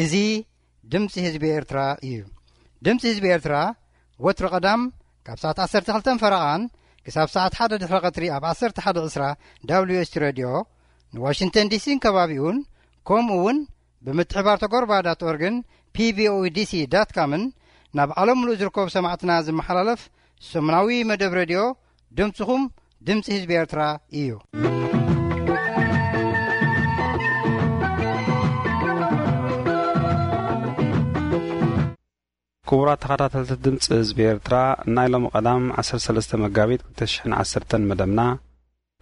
እዚ ድምፂ ህዝቢ ኤርትራ እዩ። ድምፂ ህዝቢ ኤርትራ ወትሩ ቀዳም ካብ ሰዓት ዓሰርተ ክልተ ፈረቓን ክሳብ ሰዓት ሓደ ድሕሪ ቀትሪ ኣብ ዓሰርተ ሓደ ዕስራ ዳብሊው ኤስ ቲ ሬድዮ ንዋሽንግተን ዲሲን ከባቢኡን፣ ከምኡ እውን ብምትሕባር ተጎርባ ዳት ኦርግን ፒ ቪ ኦ ዲ ሲ ዳት ካምን ናብ ዓለም ምሉእ ዝርከቡ ሰማዕትና ዝመሓላለፍ ሰሙናዊ መደብ ሬድዮ ድምፅኹም ድምፂ ህዝቢ ኤርትራ እዩ። ክቡራት ተኸታተልቲ ድምፂ ህዝቢ ኤርትራ፣ ናይ ሎሚ ቀዳም ዓሰርተ ሰለስተ መጋቢት ክልተ ሽሕን ዓሰርተን መደብና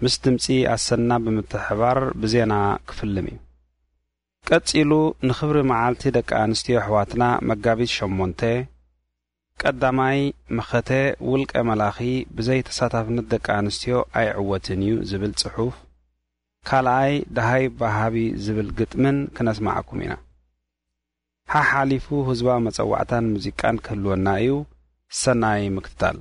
ምስ ድምፂ ኣሰና ብምትሕባር ብዜና ክፍልም እዩ። ቀጺሉ ንኽብሪ መዓልቲ ደቂ ኣንስትዮ ኣሕዋትና መጋቢት ሸሞንተ፣ ቀዳማይ መኸተ ውልቀ መላኺ ብዘይ ተሳታፍነት ደቂ ኣንስትዮ ኣይዕወትን እዩ ዝብል ጽሑፍ፣ ካልኣይ ደሃይ በሃቢ ዝብል ግጥምን ክነስማዓኩም ኢና። ሓሓሊፉ ህዝባዊ መጸዋዕታን ሙዚቃን ክህልወና እዩ። ሰናይ ምክትታል።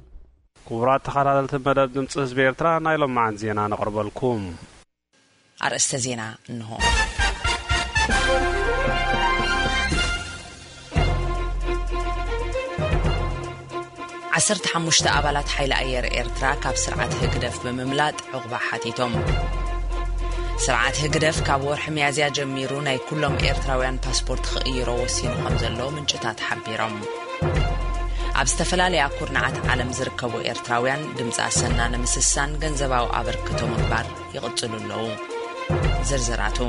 ክቡራት ተኸታተልቲ መደብ ድምፂ ህዝቢ ኤርትራ፣ ናይ ሎማዓንቲ ዜና ነቕርበልኩም። ኣርእስተ ዜና እንሆ። ዓሰርተ ሓሙሽተ ኣባላት ሓይሊ ኣየር ኤርትራ ካብ ስርዓት ህግደፍ ብምምላጥ ዕቑባ ሓቲቶም። ስርዓት ህግደፍ ካብ ወርሒ ሚያዝያ ጀሚሩ ናይ ኩሎም ኤርትራውያን ፓስፖርት ክቕይሮ ወሲኑ ከም ዘሎ ምንጭታት ሓቢሮም። ኣብ ዝተፈላለያ ኩርናዓት ዓለም ዝርከቡ ኤርትራውያን ድምፂ ኣሰና ንምስሳን ገንዘባዊ ኣበርክቶ ምግባር ይቕጽሉ ኣለዉ። ዝርዝራቱ።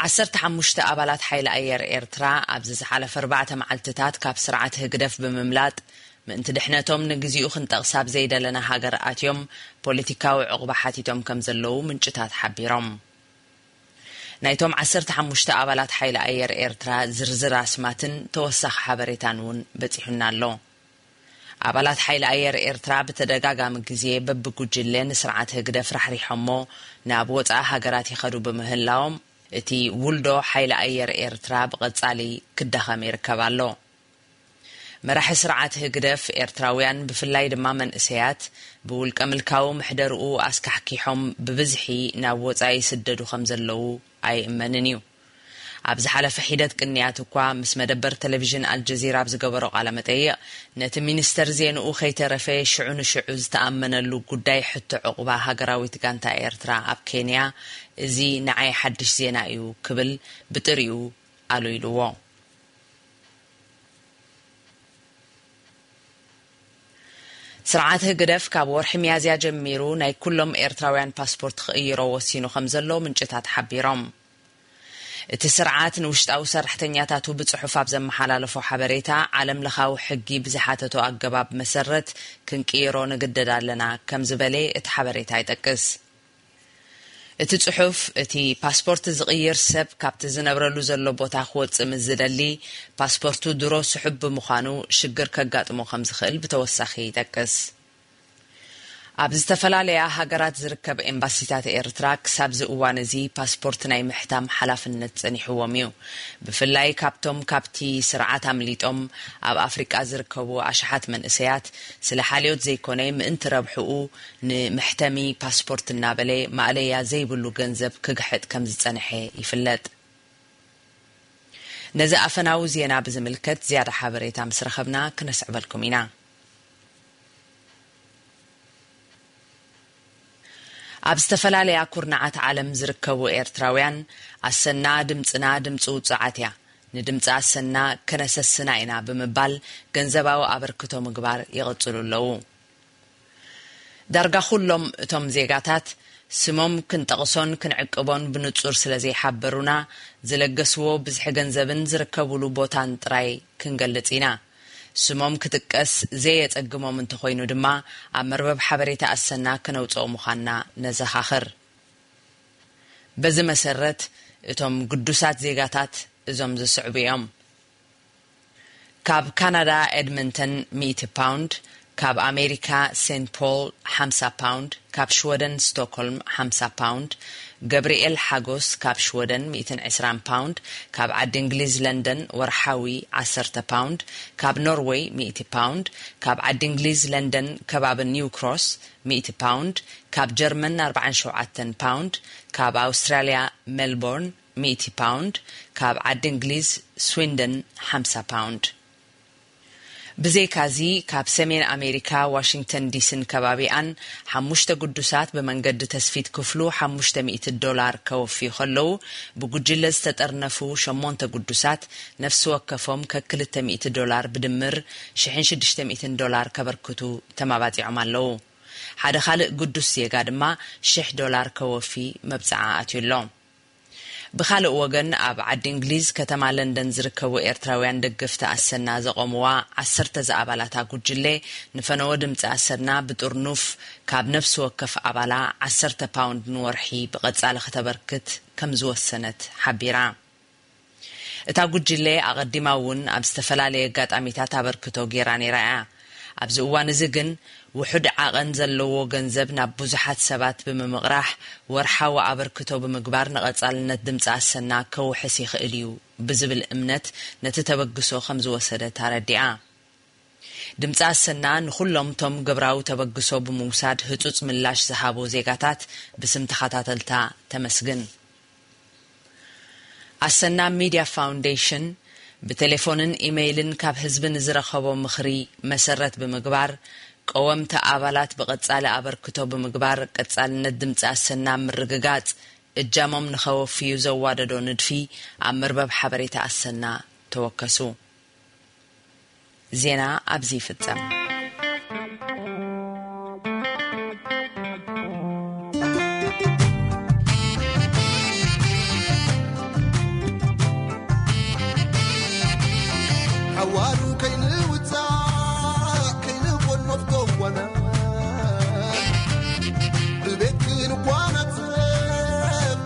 ዓሰርተ ሓሙሽተ ኣባላት ሓይሊ ኣየር ኤርትራ ኣብዚ ዝሓለፈ ኣርባዕተ መዓልትታት ካብ ስርዓት ህግደፍ ብምምላጥ ምእንቲ ድሕነቶም ንግዚኡ ክንጠቕስ ኣብ ዘይደለና ሃገር ኣትዮም ፖለቲካዊ ዕቑባ ሓቲቶም ከም ዘለዉ ምንጭታት ሓቢሮም። ናይቶም ዓሰርተ ሓሙሽተ ኣባላት ሓይሊ ኣየር ኤርትራ ዝርዝር ኣስማትን ተወሳኺ ሓበሬታን እውን በጺሑና ኣሎ። ኣባላት ሓይሊ ኣየር ኤርትራ ብተደጋጋሚ ግዜ በብጉጅለ ንስርዓት ህግደፍ ራሕሪሖሞ ናብ ወጻኢ ሃገራት ይኸዱ ብምህላዎም፣ እቲ ውልዶ ሓይሊ ኣየር ኤርትራ ብቐጻሊ ክዳኸም ይርከብ ኣሎ። መራሒ ስርዓት ህግደፍ ኤርትራውያን፣ ብፍላይ ድማ መንእሰያት፣ ብውልቀ ምልካዊ ምሕደርኡ ኣስካሕኪሖም ብብዝሒ ናብ ወጻኢ ይስደዱ ከም ዘለዉ ኣይእመንን እዩ። ኣብ ዝሓለፈ ሒደት ቅንያት እኳ ምስ መደበር ቴሌቪዥን ኣልጀዚራ ኣብ ዝገበሮ ቃለ መጠይቕ፣ ነቲ ሚኒስተር ዜንኡ ከይተረፈ ሽዑ ንሽዑ ዝተኣመነሉ ጉዳይ ሕቶ ዕቑባ ሃገራዊት ጋንታ ኤርትራ ኣብ ኬንያ፣ እዚ ንዓይ ሓድሽ ዜና እዩ ክብል ብጥሪኡ ኣሉ ኢልዎ። ስርዓት ህግደፍ ካብ ወርሒ ሚያዝያ ጀሚሩ ናይ ኩሎም ኤርትራውያን ፓስፖርት ክቕይሮ ወሲኑ ከም ዘሎ ምንጭታት ሓቢሮም። እቲ ስርዓት ንውሽጣዊ ሰራሕተኛታቱ ብጽሑፍ ኣብ ዘመሓላለፎ ሓበሬታ፣ ዓለም ለኻዊ ሕጊ ብዝሓተቶ ኣገባብ መሰረት ክንቅይሮ ንግደድ ኣለና ከም ዝበለ እቲ ሓበሬታ ይጠቅስ። እቲ ጽሑፍ፣ እቲ ፓስፖርት ዝቕይር ሰብ ካብቲ ዝነብረሉ ዘሎ ቦታ ክወጽእ ምስ ዝደሊ፣ ፓስፖርቱ ድሮ ስሑብ ብምዃኑ ሽግር ከጋጥሞ ከም ዝኽእል ብተወሳኺ ይጠቅስ። ኣብ ዝተፈላለያ ሃገራት ዝርከብ ኤምባሲታት ኤርትራ ክሳብዚ እዋን እዚ ፓስፖርት ናይ ምሕታም ሓላፍነት ጸኒሕዎም እዩ። ብፍላይ ካብቶም ካብቲ ስርዓት ኣምሊጦም ኣብ ኣፍሪቃ ዝርከቡ ኣሽሓት መንእሰያት፣ ስለ ሓልዮት ዘይኮነ ምእንቲ ረብሕኡ፣ ንመሕተሚ ፓስፖርት እናበለ ማእለያ ዘይብሉ ገንዘብ ክግሕጥ ከም ዝጸንሐ ይፍለጥ። ነዚ ኣፈናዊ ዜና ብዝምልከት ዝያዳ ሓበሬታ ምስ ረኸብና ክነስዕበልኩም ኢና። ኣብ ዝተፈላለያ ኩርናዓት ዓለም ዝርከቡ ኤርትራውያን፣ ኣሰና ድምጽና ድምጺ ውጹዓት እያ፣ ንድምጺ ኣሰና ከነሰስና ኢና ብምባል ገንዘባዊ ኣበርክቶ ምግባር ይቕጽሉ ኣለዉ። ዳርጋ ኩሎም እቶም ዜጋታት፣ ስሞም ክንጠቕሶን ክንዕቅቦን ብንጹር ስለ ዘይሓበሩና፣ ዝለገስዎ ብዝሒ ገንዘብን ዝርከቡሉ ቦታን ጥራይ ክንገልጽ ኢና። ስሞም ክጥቀስ ዘየጸግሞም እንተኾይኑ ድማ፣ ኣብ መርበብ ሓበሬታ ኣሰና ክነውጽኦ ምዃንና ነዘኻኽር። በዚ መሰረት፣ እቶም ግዱሳት ዜጋታት እዞም ዝስዕቡ እዮም። ካብ ካናዳ ኤድመንተን ሚእቲ ፓውንድ፣ ካብ ኣሜሪካ ሴንት ፖል ሓምሳ ፓውንድ፣ ካብ ሽወደን ስቶክሆልም ሓምሳ ፓውንድ፣ ገብርኤል ሓጎስ ካብ ሽወደን ሚእትን ዕስራን ፓውንድ፣ ካብ ዓዲ እንግሊዝ ለንደን ወርሓዊ ዓሰርተ ፓውንድ፣ ካብ ኖርወይ ሚእቲ ፓውንድ፣ ካብ ዓዲ እንግሊዝ ለንደን ከባቢ ኒው ክሮስ ሚእቲ ፓውንድ፣ ካብ ጀርመን ኣርባዓን ሸውዓተን ፓውንድ፣ ካብ ኣውስትራልያ ሜልቦርን ሚእቲ ፓውንድ፣ ካብ ዓዲ እንግሊዝ ስዊንደን ሓምሳ ፓውንድ። ብዘይካዚ፣ ካብ ሰሜን ኣሜሪካ ዋሽንግተን ዲሲን ከባቢኣን ሓሙሽተ ግዱሳት ብመንገዲ ተስፊት ክፍሉ ሓሙሽተ ሚእቲ ዶላር ከወፍዩ ከለዉ፣ ብጉጅለ ዝተጠርነፉ ሸሞንተ ግዱሳት ነፍሲ ወከፎም ከክልተ ሚእቲ ዶላር ብድምር ሽሕን ሽዱሽተ ሚእትን ዶላር ከበርክቱ ተማባጺዖም ኣለዉ። ሓደ ካልእ ግዱስ ዜጋ ድማ ሽሕ ዶላር ከወፊ መብጽዓ ኣትዩ ኣሎ። ብኻልእ ወገን፣ ኣብ ዓዲ እንግሊዝ ከተማ ለንደን ዝርከቡ ኤርትራውያን ደገፍቲ ኣሰና ዘቖምዋ ዓሰርተ ዝኣባላታ ጉጅለ ንፈነወ ድምጺ ኣሰና ብጥርኑፍ ካብ ነፍሲ ወከፍ ኣባላ ዓሰርተ ፓውንድ ንወርሒ ብቐጻሊ ከተበርክት ከም ዝወሰነት ሓቢራ። እታ ጉጅለ ኣቐዲማ እውን ኣብ ዝተፈላለየ ኣጋጣሚታት ኣበርክቶ ገይራ ነይራ እያ። ኣብዚ እዋን እዚ ግን ውሑድ ዓቐን ዘለዎ ገንዘብ ናብ ብዙሓት ሰባት ብምምቕራሕ ወርሓዊ ኣበርክቶ ብምግባር ንቐጻልነት ድምፂ ኣሰና ከውሕስ ይኽእል እዩ ብዝብል እምነት ነቲ ተበግሶ ከም ዝወሰደት ኣረዲኣ። ድምፂ ኣሰና ንኹሎም ቶም ግብራዊ ተበግሶ ብምውሳድ ህጹጽ ምላሽ ዝሃቡ ዜጋታት ብስም ተኸታተልታ ተመስግን። ኣሰና ሚድያ ፋውንዴሽን ብቴሌፎንን ኢመይልን ካብ ህዝቢ ንዝረኸቦ ምኽሪ መሰረት ብምግባር፣ ቀወምቲ ኣባላት ብቐጻሊ ኣበርክቶ ብምግባር ቀጻልነት ድምጺ ኣሰና ምርግጋጽ እጃሞም ንኸወፍዩ ዘዋደዶ ንድፊ ኣብ መርበብ ሓበሬታ ኣሰና ተወከሱ። ዜና ኣብዚ ይፍጸም። ሓዋሩ ከይንውጻእ ከይንቆኖፍ ጎቦና፣ ብቤት ክንጓናጸፍ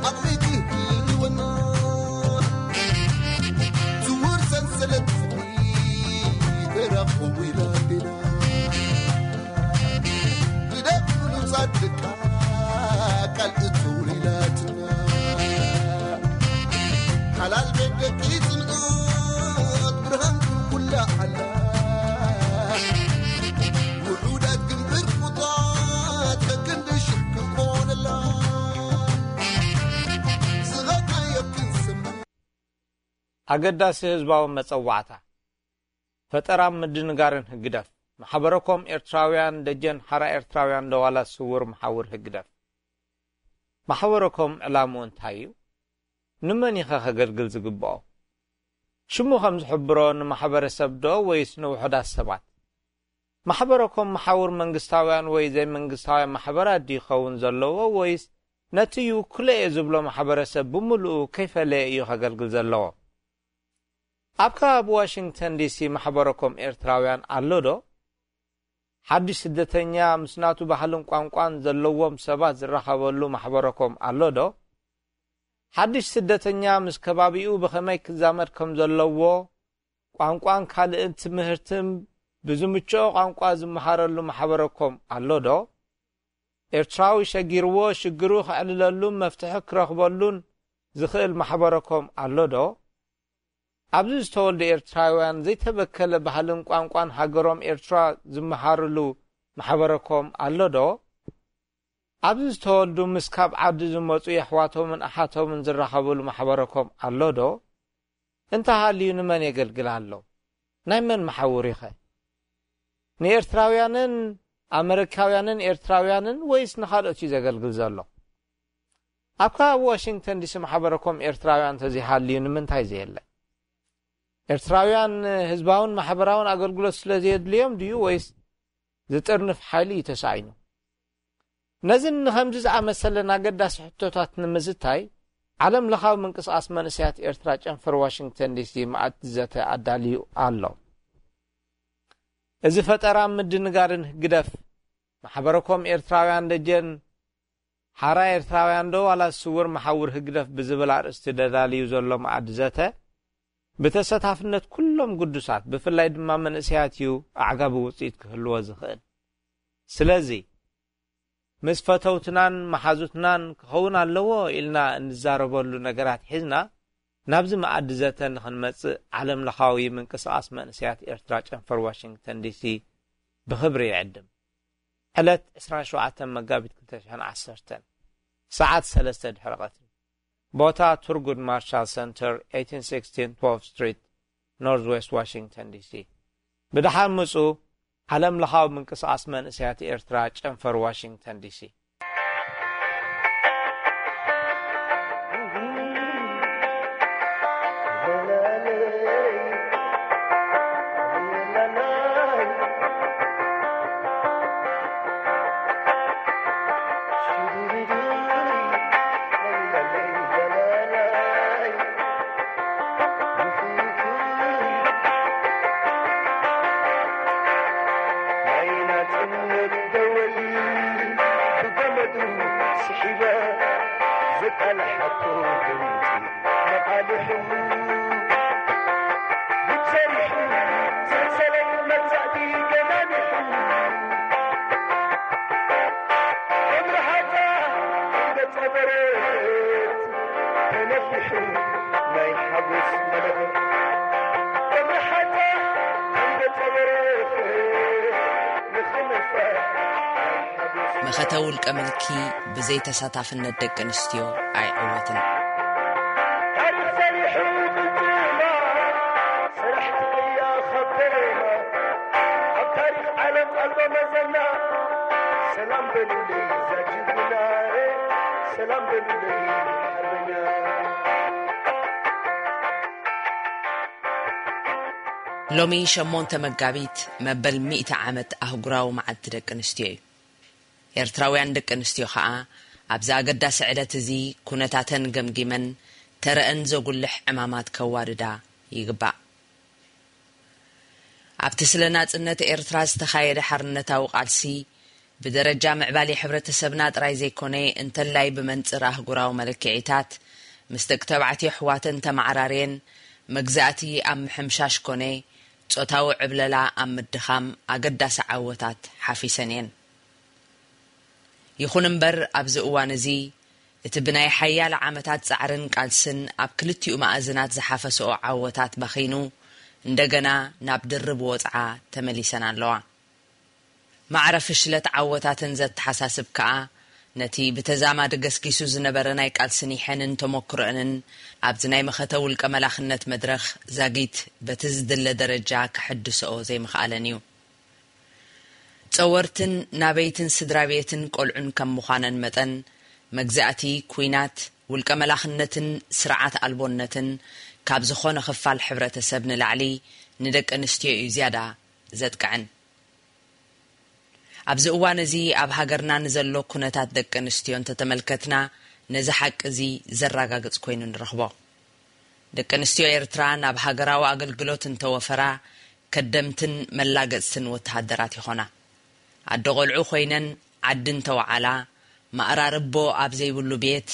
ዓቕሚ ክህልወና፣ ስውር ሰንሰለት ፍቕሪ ተራኽቡ ኢላ ኣዴና። ግደፍ ብሉጻት ደቃ ቃል እትውልላትና። ሓላል ቤት ደቂ ጽንዓት ብርሃን ኩላ ሓላ። ውሑዳት ግን ብርቁታት ከክንዲ ሽሕ ክንኮነላ። ዝኸድናዮ ክንስምዕ። ኣገዳሲ ህዝባዊ መጸዋዕታ። ፈጠራን ምድንጋርን ህግደፍ። ማሕበረኮም ኤርትራውያን ደጀን ሓራ ኤርትራውያን ደዋላት ስውር መሓውር ህግደፍ። ማሕበረኮም ዕላምኡ እንታይ እዩ? ንመን ኢኸ ከገልግል ዝግብኦ? ሽሙ ከም ዝሕብሮ ንማሕበረሰብ ዶ ወይስ ንውሑዳት ሰባት? ማሕበረኮም መሓውር መንግስታውያን ወይ ዘይመንግስታውያን ማሕበራት ድዩ ይኸውን ዘለዎ ወይስ ነቲ ይውክሎ እየ ዝብሎ ማሕበረሰብ ብምሉኡ ከይፈለየ እዩ ከገልግል ዘለዎ? ኣብ ከባቢ ዋሽንግተን ዲሲ ማሕበረኮም ኤርትራውያን ኣሎ ዶ? ሓድሽ ስደተኛ ምስ ናቱ ባህልን ቋንቋን ዘለዎም ሰባት ዝራኸበሉ ማሕበረኮም ኣሎ ዶ? ሓድሽ ስደተኛ ምስ ከባቢኡ ብኸመይ ክዛመድ ከም ዘለዎ፣ ቋንቋን ካልእን ትምህርትን ብዝምችኦ ቋንቋ ዝመሃረሉ ማሕበረኮም ኣሎ ዶ? ኤርትራዊ ሸጊርዎ ሽግሩ ከዕልለሉን መፍትሒ ክረኽበሉን ዝኽእል ማሕበረኮም ኣሎ ዶ? ኣብዚ ዝተወልዱ ኤርትራውያን ዘይተበከለ ባህልን ቋንቋን ሃገሮም ኤርትራ ዝመሃርሉ ማሕበረኮም ኣሎ ዶ? ኣብዚ ዝተወልዱ ምስ ካብ ዓዲ ዝመጹ የሕዋቶምን ኣሓቶምን ዝራኸብሉ ማሕበረኮም ኣሎ ዶ? እንተሃልዩ ንመን የገልግል ኣሎ? ናይ መን መሓውር ኢኸ? ንኤርትራውያንን ኣመሪካውያንን ኤርትራውያንን ወይስ ንኻልኦት እዩ ዘገልግል ዘሎ? ኣብ ከባቢ ዋሽንግተን ዲሲ ማሕበረኮም ኤርትራውያን እንተዘይሃልዩ ንምንታይ ዘየለ? ኤርትራውያን ህዝባውን ማሕበራውን ኣገልግሎት ስለ ዘየድልዮም ድዩ ወይስ ዝጥርንፍ ሓይሊ እዩ ተሳኢኑ? ነዝን ንኸምዚ ዝኣመሰለን ኣገዳሲ ሕቶታት ንምዝታይ፣ ዓለም ለኻዊ ምንቅስቓስ መንእሰያት ኤርትራ ጨንፈር ዋሽንግተን ዲሲ መኣዲ ዘተ ኣዳልዩ ኣሎ። እዚ ፈጠራ ምድንጋርን ህግደፍ፣ ማሕበረኮም ኤርትራውያን ደጀን ሓራ ኤርትራውያን ዶ ዋላ ስውር መሓውር ህግደፍ ብዝብል ኣርእስቲ ደዳልዩ ዘሎ መኣዲ ዘተ፣ ብተሳታፍነት ኩሎም ግዱሳት፣ ብፍላይ ድማ መንእሰያት እዩ ኣዕጋቢ ውጽኢት ክህልዎ ዝኽእል። ስለዚ፣ ምስ ፈተውትናን መሓዙትናን ክኸውን ኣለዎ ኢልና እንዛረበሉ ነገራት ሒዝና ናብዚ መኣዲ ዘተ ንኽንመጽእ ዓለም ለኻዊ ምንቅስቓስ መንእሰያት ኤርትራ ጨንፈር ዋሽንግተን ዲሲ ብኽብሪ ይዕድም። ዕለት ዕስራን ሸውዓተን መጋቢት ክልተ ሽሕን ዓሰርተን ሰዓት ሰለስተ ድሕሪ ቀትሪ። ቦታ ቱርጉድ ማርሻል ሰንተር፣ eighteen sixteen twelfth Street፣ ኖርዝ ዌስት ዋሽንግተን ዲሲ። ብደሓን ምጹ። ዓለም ለኻዊ ምንቅስቓስ መንእሰያት ኤርትራ ጨንፈር ዋሽንግተን ዲሲ። ናይ ናጽነት ደወል ብገመዱ ስሒበ ዘቃልሓቶ ድምጺ መቓልሑ፣ ጉድ ሰሪሑ ሰንሰለት መግዛእቲ ገናኒሑ፣ እምርሃታ እንደ ጸበረት ተነፊሑ ናይ ሓጎስ መለኸት። እምርሃታ እንደ ጸበረት ንኸመፈ ናይ ሓጎስ መኸተ ውልቀ ምልኪ ብዘይ ተሳታፍነት ደቂ ኣንስትዮ ኣይዕወትን። ታሪኽ ሰሪሑ ቅልጽማ፣ ሰራሕቲ ቅያ ኸበማ፣ ኣብ ታሪኽ ዓለም ኣልቦ መዘና። ሰላም በሉለይ ዛጅጉና፣ ሰላም በሉለይ ሓርበኛ። ሎሚ ሸሞንተ መጋቢት መበል ሚእቲ ዓመት ኣህጉራዊ መዓልቲ ደቂ ኣንስትዮ እዩ። ኤርትራውያን ደቂ ኣንስትዮ ኸኣ ኣብዚ ኣገዳሲ ዕለት እዚ ኩነታተን ገምጊመን ተረአን ዘጉልሕ ዕማማት ከዋድዳ ይግባእ። ኣብቲ ስለ ናጽነት ኤርትራ ዝተኻየደ ሓርነታዊ ቃልሲ ብደረጃ ምዕባሌ ሕብረተሰብና ጥራይ ዘይኮነ፣ እንተላይ ብመንጽር ኣህጉራዊ መለክዒታት ምስ ደቂ ተባዕትዮ ኣሕዋተን ተመዓራርየን መግዛእቲ ኣብ ምሕምሻሽ ኮነ ጾታዊ ዕብለላ ኣብ ምድኻም ኣገዳሲ ዓወታት ሓፊሰን እየን። ይኹን እምበር፣ ኣብዚ እዋን እዚ እቲ ብናይ ሓያለ ዓመታት ጻዕርን ቃልስን ኣብ ክልቲኡ መኣዝናት ዝሓፈሰኦ ዓወታት ባኺኑ፣ እንደገና ናብ ድርብ ወጽዓ ተመሊሰን ኣለዋ። ማዕረ ፍሽለት ዓወታተን ዘተሓሳስብ ከኣ፣ ነቲ ብተዛማዲ ገስጊሱ ዝነበረ ናይ ቃልስን ይሐንን ተመክሮአንን ኣብዚ ናይ መኸተ ውልቀ መላኽነት መድረኽ ዛጊት በቲ ዝድለ ደረጃ ከሐድስኦ ዘይምኽኣለን እዩ። ጸወርትን ናበይትን ስድራ ቤትን ቆልዑን ከም ምዃነን መጠን፣ መግዛእቲ፣ ኲናት፣ ውልቀ መላኽነትን ስርዓት ኣልቦነትን ካብ ዝኾነ ክፋል ሕብረተሰብ ንላዕሊ ንደቂ ኣንስትዮ እዩ ዝያዳ ዘጥቅዐን። ኣብዚ እዋን እዚ ኣብ ሃገርና ንዘሎ ኩነታት ደቂ ኣንስትዮ እንተተመልከትና፣ ነዚ ሓቂ እዚ ዘረጋግጽ ኮይኑ ንረኽቦ። ደቂ ኣንስትዮ ኤርትራ ናብ ሃገራዊ ኣገልግሎት እንተወፈራ፣ ከደምትን መላገጽትን ወተሃደራት ይኾና። ኣደ ቆልዑ ኮይነን ዓዲ እንተወዓላ፣ ማእራርቦ ኣብ ዘይብሉ ቤት፣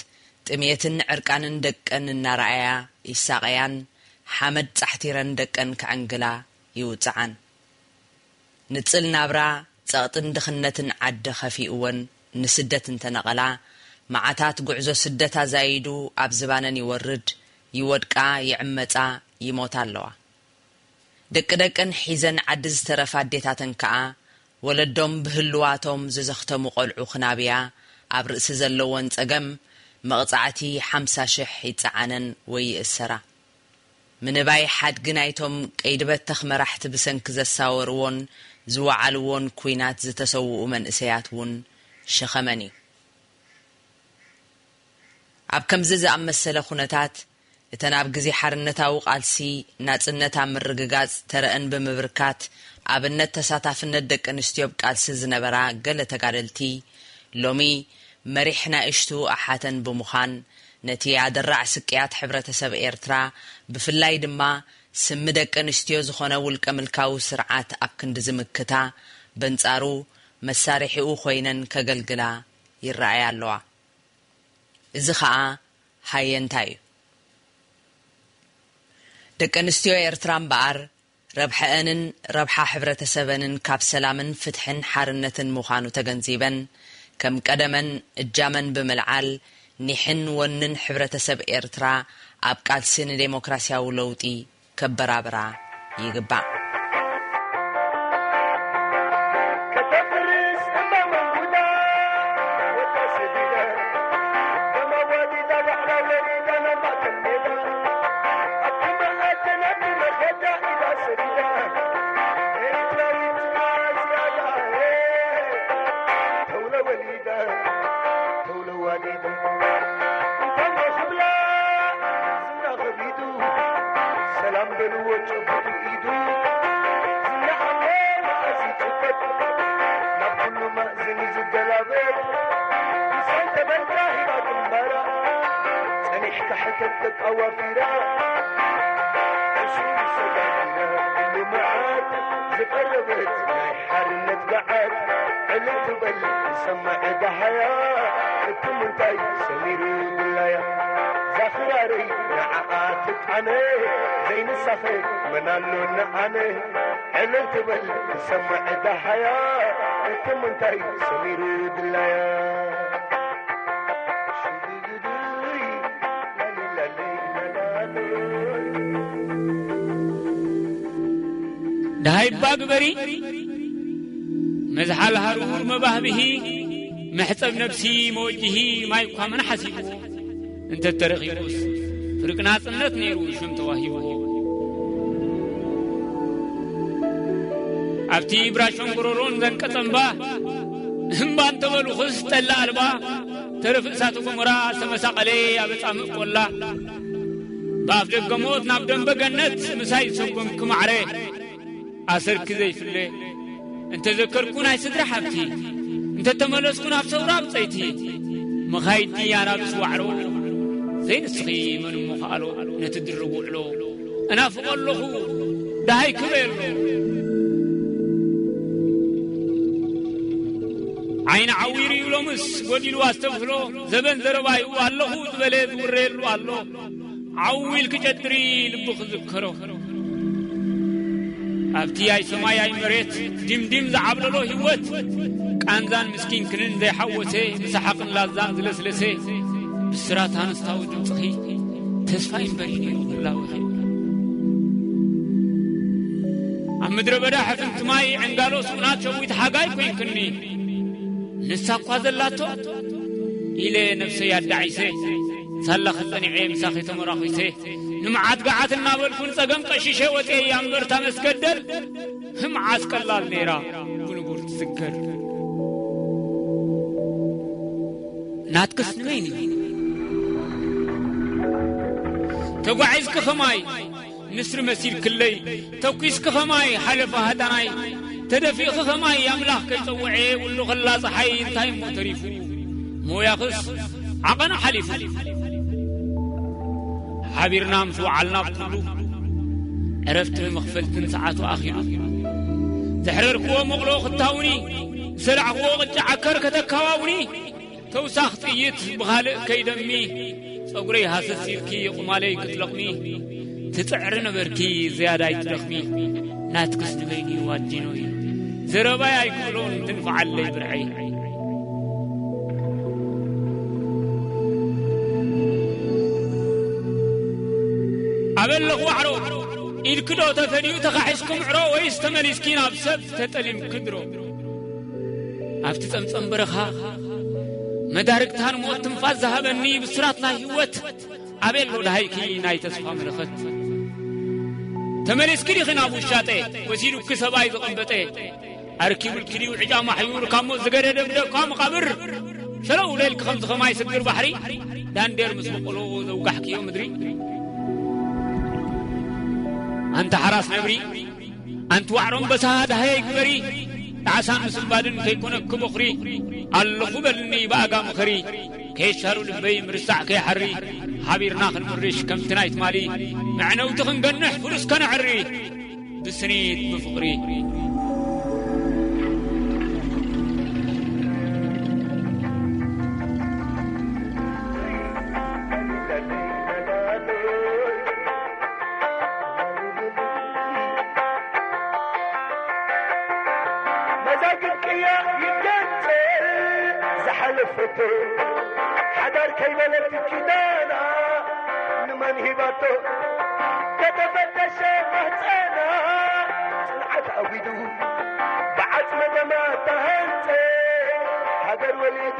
ጥሜትን ዕርቃንን ደቀን እናረኣያ ይሳቐያን፣ ሓመድ ጻሕቲረን ደቀን ከዐንግላ ይውጽዓን። ንጽል ናብራ፣ ጸቕጥን ድኽነትን ዓዲ ከፊእወን ንስደት እንተነቐላ፣ መዓታት ጉዕዞ ስደት ኣዛይዱ ኣብ ዝባነን ይወርድ፣ ይወድቃ፣ ይዕመጻ፣ ይሞታ ኣለዋ። ደቂ ደቀን ሒዘን ዓዲ ዝተረፋ ኣዴታተን ከኣ፣ ወለዶም ብህልዋቶም ዝዘኽተሙ ቆልዑ ክናብያ ኣብ ርእሲ ዘለወን ጸገም፣ መቕጻዕቲ ሓምሳ ሽሕ ይጸዓነን ወይ ይእሰራ። ምንባይ ሓድጊ ናይቶም ቀይዲ በተኽ መራሕቲ ብሰንኪ ዘሳወርዎን ዝወዓልዎን ኲናት ዝተሰውኡ መንእሰያት እውን ሸኸመን እዩ። ኣብ ከምዚ ዝኣመሰለ ኩነታት፣ እተን ኣብ ግዜ ሓርነታዊ ቃልሲ ናጽነት ኣብ ምርግጋጽ ተረአን ብምብርካት፣ ኣብነት ተሳታፍነት ደቂ ኣንስትዮ ኣብ ቃልሲ ዝነበራ ገለ ተጋደልቲ፣ ሎሚ መሪሕ ናእሽቱ ኣሓተን ብምዃን፣ ነቲ ኣደራዕ ስቅያት ሕብረተሰብ ኤርትራ፣ ብፍላይ ድማ ስሚ ደቂ ኣንስትዮ ዝኾነ ውልቀ ምልካዊ ስርዓት ኣብ ክንዲ ዝምክታ፣ በንጻሩ መሳርሒኡ ኮይነን ከገልግላ ይረኣያ ኣለዋ። እዚ ኸኣ ሃየንታ እዩ። ደቂ ኣንስትዮ ኤርትራ እምበኣር፣ ረብሐአንን ረብሓ ሕብረተሰበንን ካብ ሰላምን ፍትሕን ሓርነትን ምዃኑ ተገንዚበን፣ ከም ቀደመን እጃመን ብምልዓል፣ ኒሕን ወንን ሕብረተሰብ ኤርትራ ኣብ ቃልሲ ንዴሞክራሲያዊ ለውጢ ከበራብራ ይግባእ። ከተፍርስ እማ መንጉዳ፣ ወዳ ሰዲዳ፣ ደማ ዋዲዳ፣ ባዕላ ወሪዳ፣ ናብ ማእከል ሜዳ። ኣብቲ መኣዲ ናብቲ መኸዳ ኢዳ ሰዲዳ፣ ኤርትራዊት እያ ዝያዳ፣ ተውለ ወሊዳ፣ ተውለ ዋሊዳ። እንኳን ክብላ ዝና ከቢዱ፣ ሰላም በልዎ ጨብጡ ኢዱ። ዝና ኣሎ መኣዝ ይጭበጥ፣ ናብ ኩሉ ማእዝን እዩ ዝገላበጥ። ምሳይ ተበልካ ሂባ ግንባራ፣ ጸኒሕካ ሕተት ደቃ ዋፊራ። ዕሱብ ሰጋዲራ፣ ኩሉ መዓት ዝቐረበት ናይ ሓርነት ገዓት። ዕልል ትበል ትሰምዕ ደሃያ፣ እትም እንታይ ሰሚሩ ድላያ። ዛኽራረይ ንዓኣ ትጣነ፣ ዘይንሳኸ መን ኣሎ ንኣነ። ዕልል ትበል ትሰምዕ ደሃያ፣ እትም እንታይ ሰሚሩ ድላያ። ደሃይባ ግበሪ፣ መዝሓል ሃሩር መባህብሂ፣ መሕጸብ ነብሲ መወጅሂ፣ ማይ እኳ መን ሓሲብዎ። እንተ ተረኺቡስ ፍርቂ ናጽነት ነይሩ ሽም ተዋሂብዎ። ኣብቲ ብራሾን ጎሮሮን ዘንቀጸ እምባ፣ እምባ እንተበልኹስ ጠላ ኣልባ፣ ተረፍ እሳተ ገሞራ ዝተመሳቐለ ኣብ ኣጻምእ ቆላ። ብኣፍ ደገ ሞት ናብ ደንበ ገነት ምሳይ ዝሰጎምኪ ማዕረ፣ ኣሰርኪ ዘይፍለ እንተ ዘከርኩ ናይ ስድራ ሓብቲ፣ እንተ ተመለስኩ ናብ ሰውራ ብጸይቲ፣ መኻይዲ ኣናብስ ዋዕሮ፣ ዘይንስኺ መን እሞ ከኣሎ ነቲ ድርብ ውዕሎ። እናፍቖ ኣለኹ ደሃይ ክበየሎ። ዓይኒ ዓዊሩ እዩ ሎምስ ጎዲሉ ኣስተብህሎ፣ ዘበን ዘረባዩ ኣለኹ ዝበለ ዝውረየሉ ኣሎ። ዓው ኢልኪ ጨድሪ ልቢ ክዝከሮ። ኣብቲ ኣይ ሰማይ ኣይ መሬት ዲምዲም ዝዓብለሎ ህይወት፣ ቃንዛን ምስኪንክንን ዘይሓወሰ፣ ብሰሓቕን ላዛን ዝለስለሰ፣ ብስራት ኣንስታዊ ድምፅኺ ተስፋ እምበር እዩ ነይሩ ህላወኺ። ኣብ ምድረ በዳ ሕፍንቲ ማይ ዕንጋሎ ስኡናት ሸዊት ሓጋይ ኮይንክኒ። ንሳ እኳ ዘላቶ ኢለ ነብሰይ ኣዳዒሰ፣ ሳላኺ ጸኒዐ ምሳኺ ተመራኺሰ፣ ንመዓት ገዓት እናበልኩ ንጸገም ቀሺሸ ወጽየ እያ እምበር እታ መስገደል ህምዓስ ቀላል ነይራ ብንቡር ትስገር። ናትክስ ንበይኒ ተጓዒዝኪ ኸማይ ንስሪ መሲልክለይ፣ ተኲስኪ ኸማይ ሓለፋ ሃዳናይ፣ ተደፊእኺ ኸማይ ኣምላኽ ከይጸውዐ ውሉ ኸላ ጸሓይ እንታይ እሞ ተሪፉ፣ ሞያኽስ ዓቐኑ ሓሊፉ። ሓቢርና ምስ ወዓልና ኩሉ ዕረፍቲ መኽፈልትን ሰዓቱ ኣኺሉ። ዘሕረርክዎ መቕሎ ክታውኒ፣ ዝሰላዕክዎ ቅጫ ዓከር ከተካዋውኒ፣ ተውሳኽ ጥይት ብኻልእ ከይደሚ፣ ጸጉረይ ሃሰስ ኢልኪ ቁማለይ ክትለቕሚ፣ ትጽዕሪ ነበርኪ ዝያዳ ኣይትደኽሚ። ናትክስ ንበይኒ ዋጂኖይ፣ ዘረባይ ኣይክብሎን ትንፍዓለይ ብርዐይ። ኣበለኹ ዋዕሮ፣ ኢድኪ ዶ ተፈድዩ ተኻሒስኩም ዕሮ፣ ወይስ ተመሊስኪ ናብ ሰብ ተጠሊምኪ ድሮ? ኣብቲ ጸምጸም በረኻ መዳርግታን ሞት ትንፋስ ዝሃበኒ ብስራት ናይ ህይወት፣ ኣበይ ኣሎ ደሃይኪ ናይ ተስፋ መለኸት? ተመሊስኪ ዲኺ ናብ ውሻጠ፣ ወሲዱኪ ሰብኣይ ዝቐንበጠ? ኣርኪቡልኪ ድዩ ዕጫ ማሕዩር ካብ ሞት ዝገደደ ብደኳ መቓብር? ሸለው ለልኪ ከምዚ ኸማይ ስግር ባሕሪ፣ ዳንዴር ምስ በቆሎ ዘውጋሕክዮ ምድሪ። ኣንቲ ሓራስ ነብሪ፣ ኣንቲ ዋዕሮ ኣንበሳ ደሃየይ ግበሪ፣ ጣዕሳን ምስንባድን ከይኮነኪ ቦኽሪ፣ ኣለኹ በልኒ ብኣጋ ምኸሪ፣ ከየሻሩ ልበይ ምርሳዕ ከይሓሪ፣ ሓቢርና ክንምርሽ ከምቲ ናይ ትማሊ፣ መዕነውቲ ክንገንሕ ፍሉስ ከነዕሪ፣ ብስኒት ብፍቕሪ። ኣይበለት ኪዳና ንመን ሂባቶ? ከተፈተሸ ማህፀና ጽንዓት ኣዊዱ ብዓጽመ ደማ ተሃንጸ። ሃገር ወሊዱ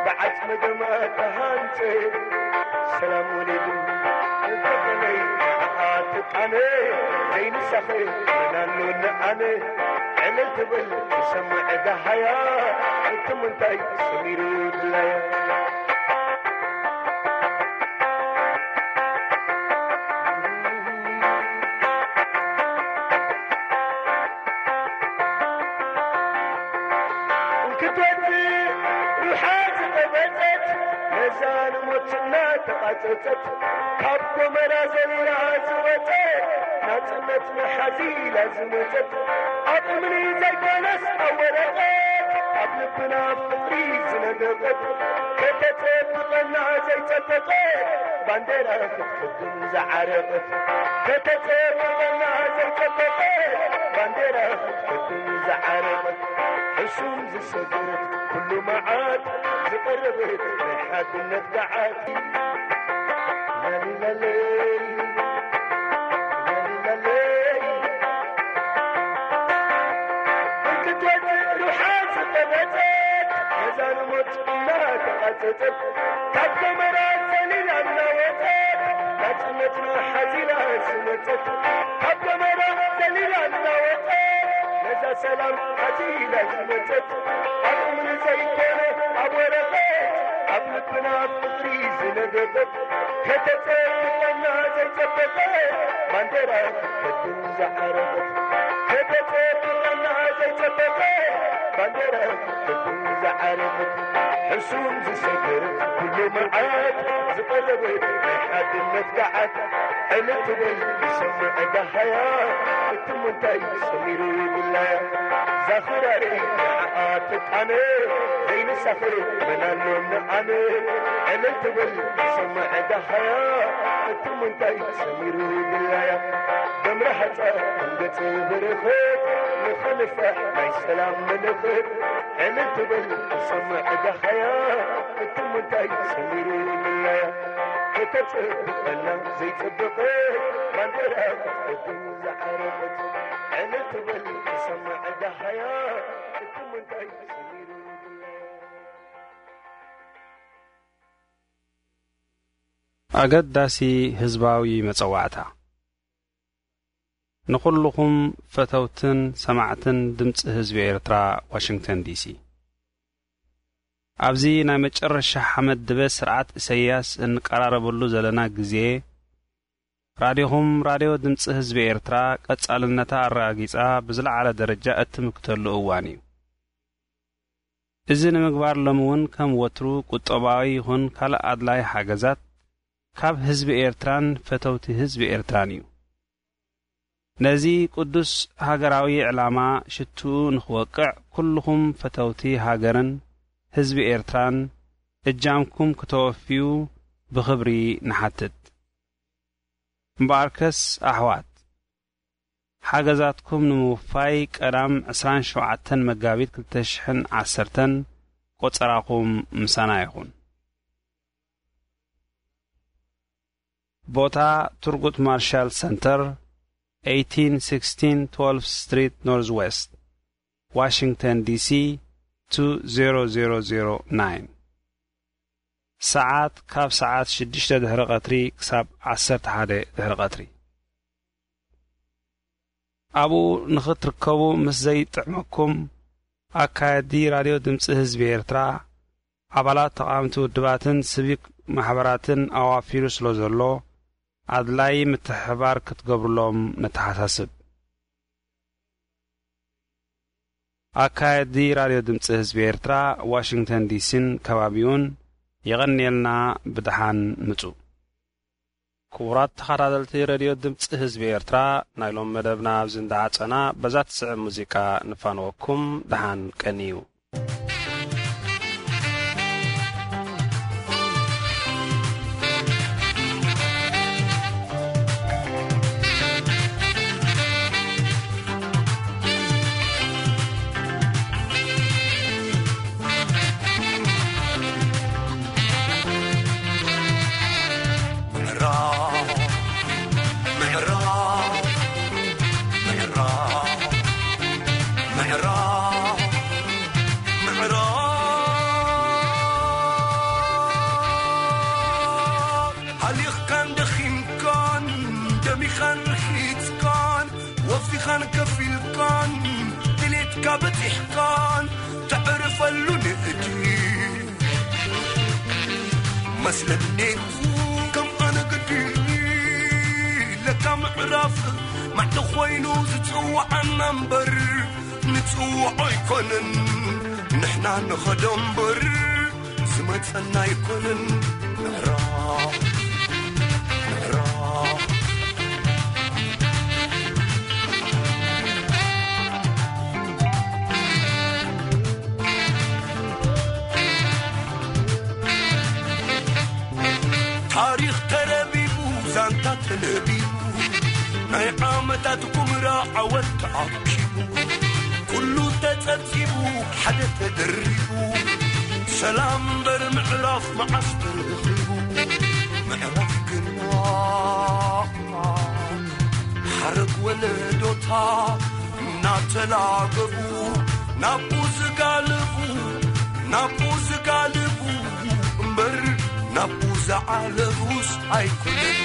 ብዓጽመ ደማ ተሃንጸ። ሰላም ወሊዱ እንተኾነይ ንዓኣ ትቃነ። ዘይንሳኸ መናሎ ንኣነ ዕልል ትብል ትሰምዕ ደሃያ። እቲ ምንታይ ሰሚሩ ድላያ? ክትወጽእ ሩሓ ዝቐበጸት ነዛ ንሞት እናተቓጸጸት ካብ ጎመራ ዘሊላ ዝወጸት ናጽነት መሓዚላ ዝመጸት ኣብ እምኒ ዘይኮነስ ኣብ ወረቐት ኣብ ልብና ፍቕሪ ዝነደቐት ከተጸብቐና ዘይጸበቐት ባንዴራ ክትቅድም ዝዓረቐት ከተጸብቐና ዘይጸበቐት ባንዴራ ክትቅድም ዝዓረቐት ሕሱም ዝሰገረት ኩሉ መዓት ዝቐረበት ናይ ሓድነት ገዓት። ላሊላለይ፣ ላሊላለይ፣ ክትወጽእ ሩሓ ዝቐበጸት ነዛ ንሞት እናተቓጸጸት ካብ ጎመራ ዘሊላ እናወጸት ናጽነትና ሓዚላ ዝመጸት ካብ ጎመራ ዘሊላ እናወጸት ነዛ ሰላም ሓዚላ ዝመጸት ኣብ እምኒ ዘይኮነ ኣብ ወረቐት ኣብ ልብና ፍቕሪ ዝነገበት ከተጸብቐና ዘይጸበቐት ባንዴራ ክትከድን ዝዓረፈት ከተጸብቐና ዘይጸበቐት ባንዴራ ክትከድን ዝዓረፈት ሕሱም ዝሰገረት ኩሉ መዓት ዝቐረበት ናይ ሓድነት ገዓት ዕልል ትበል ይሰምዕ ደሃያ እቲ ምንታይ ሰሚሩ ይብላያ ዛኽራሪ ንዓኣ ትቃነ ዘይንሳኸ መናሎ ንኣነ ዕልል ትበል ይሰምዕ ደሃያ እቲ ምንታይ ሰሚሩ ይብላያ ደምራ ሓጻ ንገጽ በረኸት ንኸንፋሕ ናይ ሰላም መለኸት ዕልል ትበል ይሰምዕ ደሃያ እቲ ምንታይ ሰሚሩ ይብላያ ከተጸብቐና ዘይጸበቐት ባንዴራ ክትቀድም ዝዓረፈት ዕልል ትበል ትሰምዕ ደሃያ እቲ ምንታይ ሰሚሩ ይብላያ። ኣገዳሲ ህዝባዊ መጸዋዕታ። ንኹልኹም ፈተውትን ሰማዕትን ድምጺ ህዝቢ ኤርትራ፣ ዋሽንግተን ዲሲ። ኣብዚ ናይ መጨረሻ ሓመድ ድበ ስርዓት ኢሰያስ እንቀራረበሉ ዘለና ግዜ፣ ራዲኹም ራድዮ ድምጺ ህዝቢ ኤርትራ ቀጻልነታ ኣረጋጊጻ ብዝለዓለ ደረጃ እትምክተሉ እዋን እዩ። እዚ ንምግባር ሎሚ እውን ከም ወትሩ ቁጠባዊ ይኹን ካልእ ኣድላይ ሓገዛት ካብ ህዝቢ ኤርትራን ፈተውቲ ህዝቢ ኤርትራን እዩ። ነዚ ቅዱስ ሃገራዊ ዕላማ ሽትኡ ንኽወቅዕ ኩልኹም ፈተውቲ ሃገርን ህዝቢ ኤርትራን እጃምኩም ክተወፍዩ ብኽብሪ ንሓትት። እምበኣርከስ ኣሕዋት፣ ሓገዛትኩም ንምውፋይ ቀዳም ዕስራን ሸውዓተን መጋቢት ክልተ ሽሕን ዓሰርተን ቆጸራኹም ምሳና ይኹን። ቦታ፣ ቱርጉት ማርሻል ሰንተር፣ ኤይቲን ሲክስቲን ትወልቭ ስትሪት ኖርዝ ዌስት፣ ዋሽንግተን ዲሲ፣ ቱ ዜሮ ዜሮ ዜሮ ናይን። ሰዓት ካብ ሰዓት ሽዱሽተ ድሕሪ ቀትሪ ክሳብ ዓሰርተ ሓደ ድሕሪ ቀትሪ። ኣብኡ ንኽትርከቡ ምስ ዘይጥዕመኩም፣ ኣካየድቲ ራድዮ ድምጺ ህዝቢ ኤርትራ፣ ኣባላት ተቓወምቲ ውድባትን ሲቪክ ማሕበራትን ኣዋፊሩ ስለ ዘሎ፣ ኣድላዪ ምትሕብባር ክትገብሩሎም ነተሓሳስብ። ኣካየድቲ ራድዮ ድምጺ ህዝቢ ኤርትራ፣ ዋሽንግተን ዲሲን ከባቢኡን፣ የቐንየልና፣ ብደሓን ምጹ። ክቡራት ተኸታተልቲ ሬድዮ ድምጺ ህዝቢ ኤርትራ፣ ናይ ሎም መደብና ኣብዚ እንዳዓጸና፣ በዛ ትስዕብ ሙዚቃ ንፋነወኩም። ደሓን ቀንዩ። ኣሊኽካን ደኺምካን፣ ደሚኻን ርሒጽካን፣ ወፊኻን ከፊልካን፣ ድሌትካ በጺሕካን፣ ተዕርፈሉ ንእዲ። መስለኒ ከም ኣነ ግዲ ለካ ምዕራፍ ማዕዶ ኮይኑ ዝጽውዓና እምበር፣ ንጽውዖ ኣይኮነን ንሕና ንኸዶ እምበር፣ ዝመጸና ኣይኮነን። ምዕራፍ፣ ምዕራፍ። ታሪኽ ተረቢቡ፣ ዛንታ ተለቢቡ፣ ናይ ዓመታት ኩምራ ዓወት ተኣኪቡ፣ ኩሉ ተጸብጺቡ፣ ሓደ ተደሪቡ፣ ሰላም እምበር ምዕራፍ መዓስ ተረኺቡ? ምዕራፍ ግና ሓረግ ወለዶታ እናተላገቡ፣ ናብኡ ዝጋልቡ፣ ናብኡ ዝጋልቡ እምበር፣ ናብኡ ዝዓለቡስ ኣይኮነን።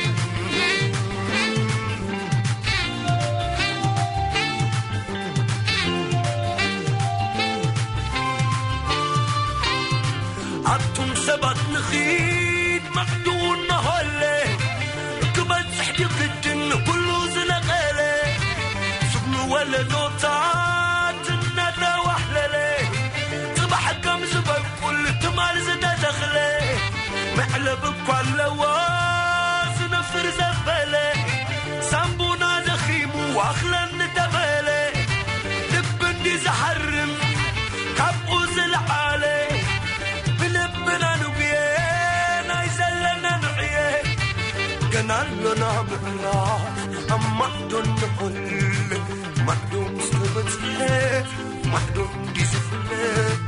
ኣቱም ሰባት ንኺድ ማዕዱ እናሃለ፣ ክበጽሕ ድግድን ኩሉ ዝነቐለ፣ ስጉሚ ወለዶታት እናተዋሕለለ፣ ጽባሕ ከም ዝበቁል ትማል ዝተተኽለ፣ መዕለብ እኳ ኣለዎ ዝነፍር ዘበለ፣ ሳምቡና ደኺሙ ኣኽለኒ ተበለ፣ ልቢ እንዲ ዝሃርም ካብኡ ዝለዓለ፣ ብልብና ንጉየ ናይ ዘለና ንዕየ፣ ገና ኣሎና ምዕራፍ ኣብ ማዕዶ ንኹል፣ ማዕዶ ምስ ተበጽሐ ማዕዶ እንዲ ዝፍለ፣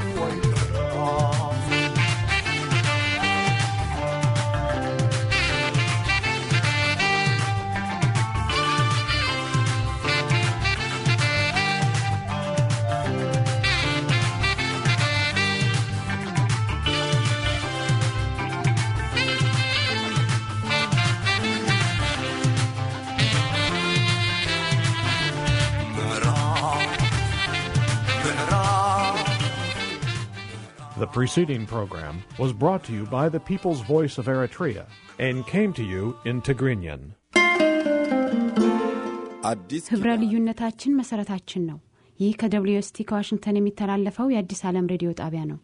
እዋይ ምዕራፍ። The preceding program was brought to you by the People's Voice of Eritrea and came to you in Tigrinya. ኣዲስ ህብረ ልዩነታችን መሰረታችን ነው። ይህ ከ ደብልዩ ኤስ ቲ ከዋሽንግተን የሚተላለፈው የአዲስ ዓለም ሬዲዮ ጣቢያ ነው።